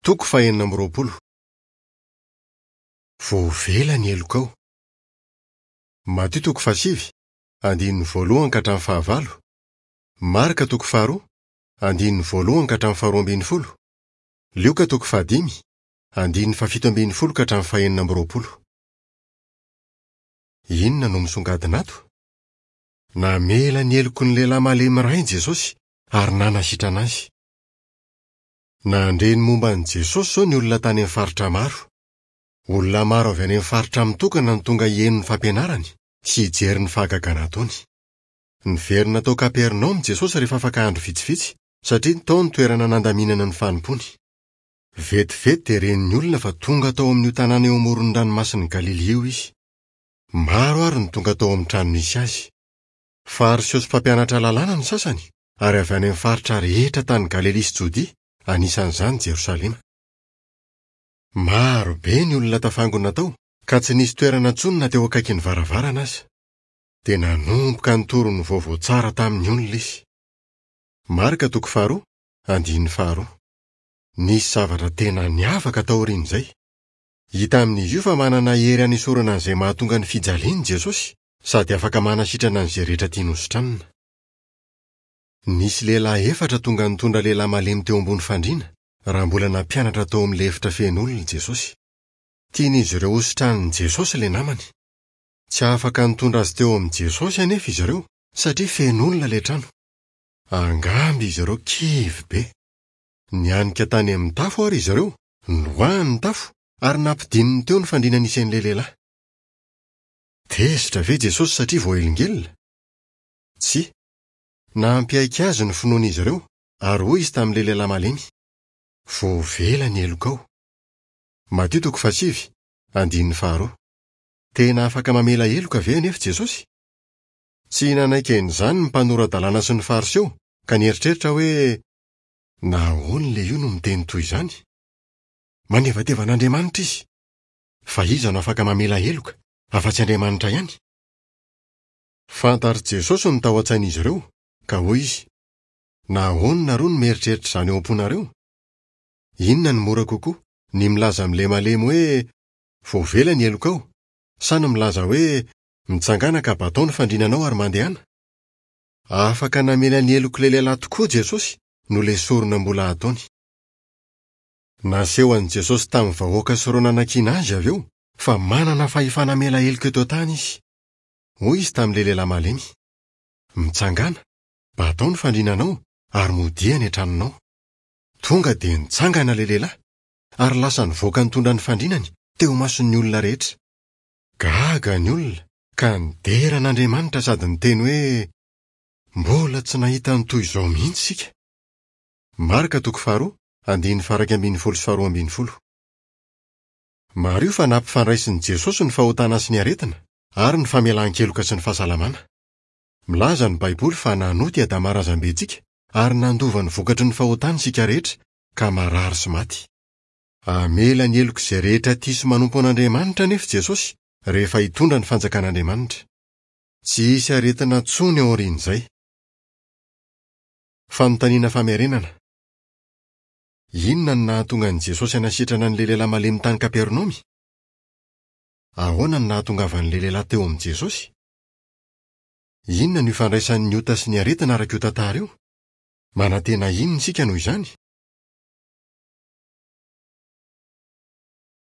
Toko fahenina amby roapolo. Voavela ny helokao. Matio toko fahasivy, andininy voalohany ka hatramin'ny fahavalo. Marka toko faharoa, andininy voalohany ka hatramin'ny faharoa ambin'ny folo. Lioka toko fahadimy, andininy fahafito ambin'ny folo ka hatramin'ny fahenina amby roapolo. Inona no misongadina ato? Namela ny heloky ny lehilahy malemy iray Jesosy ary nanasitrana azy. Nandre ny momba an'i Jesosy izao ny olona tany amin'ny faritra maro. Olona maro avy any amin'ny faritra mitokana no tonga hihaino ny fampianarany sy hijery ny fahagagana ataony. Niverina tao Kapernaomy Jesosy rehefa afaka andro vitsivitsy, satria tao ny toerana nandaminana ny fanompoany. Vetivety dia ren'ny olona fa tonga tao amin'io tanàna eo amoron'ny Ranomasin'i Galilia io izy. Maro àry no tonga tao amin'ny trano nisy azy. Fariseo sy mpampianatra lalàna ny sasany, ary avy any amin'ny faritra rehetra tany Galilia sy Jodia, anisan'izany Jerosalema. Maro be ny olona tafangona tao, ka tsy nisy toerana intsony na teo akaikin'ny varavarana aza. Dia nanomboka nitory ny vaovao tsara tamin'ny olona izy. Marka toko faharoa, andininy faharoa. Nisy zavatra tena niavaka taorian'izay. Hita amin'izy io fa manana hery hanesorana an'izay mahatonga ny fijaliana i Jesosy, sady afaka manasitrana an'izay rehetra tiany hositranina. Nisy lehilahy efatra tonga nitondra lehilahy malemy teo ambony fandriana, raha mbola nampianatra tao amin'ilay efitra feno olona i Jesosy. Tian'izy ireo hositranin'i Jesosy ilay namany. Tsy afaka nitondra azy teo amin'i Jesosy anefa izy ireo, satria feno olona ilay trano. Angamba izy ireo kivy be. Nianika tany amin'ny tafo àry izy ireo, noroahany ny tafo, ary nampidininy teo ny fandriana nisy an'ilay lehilahy. Tezitra ve Jesosy satria voahelingelina? Tsia. Nampiaiky azy ny finoan'izy ireo, ary hoy izy tamin'ilay lehilahy malemy, Voavela ny helokao. Matio toko fahasivy, andininy faharoa. Tena afaka mamela heloka ve anefa Jesosy? Tsy nanaiky an'izany ny mpanora-dalàna sy ny Fariseo, ka nieritreritra hoe, Nahoana ilay io no miteny toy izany? Manevateva an'Andriamanitra izy! Fa iza no afaka mamela heloka, afa-tsy Andriamanitra ihany? Fantatr'i Jesosy ny tao an-tsain'izy ireo, ka hoy izy, Nahoana nareo no mieritreritra izany ao am-ponareo? Inona no mora kokoa, ny milaza amin'ilay malemy hoe, 'Voavela ny helokao', sa ny milaza hoe, 'Mitsangàna ka batao ny fandrinanao ary mandehana'? Afaka namela ny helok'ilay lehilahy tokoa Jesosy noho ilay sorona mbola hataony. Naseho an'i Jesosy tamin'ny vahoaka sy ireo nanakiana azy avy eo fa manana fahefana hamela heloka eto an-tany izy. Hoy izy tamin'ilay lehilahy malemy, Mitsangàna, batao ny fandrinanao ary modia any an-tranonao. Tonga dia nitsangana ilay lehilahy ary lasa nivoaka nitondra ny fandrinany teo imason'ny olona rehetra. Gaga ny olona ka nidera an'Andriamanitra sady niteny hoe, Mbola tsy nahita ny toy izao mihitsy isika. Marka toko faharoa, andininy faha-iraika ambin'ny folo sy faharoa ambin'ny folo. Mariho fa nampifandraisin'i Jesosy ny fahotana sy ny aretina ary ny famelan-keloka sy ny fahasalamana. Milaza ny Baiboly fa nanota i Adama razambentsika ary nandova ny vokatry ny fahotany isika rehetra ka marary sy maty. Hamela ny helok'izay rehetra tia sy manompo an'Andriamanitra anefa Jesosy rehefa hitondra ny Fanjakan'Andriamanitra. Tsy hisy aretina intsony aorian'izay. Fanontaniana famerenana. Inona no nahatonga an'i Jesosy hanasitrana an'ilay lehilahy malemy tany Kapernaomy? Ahoana no nahatongavan'ilay lehilahy teo amin'i Jesosy? Inona no ifandraisan'ny ota sy ny aretina araka io tantara io? Manantena inona isika noho izany?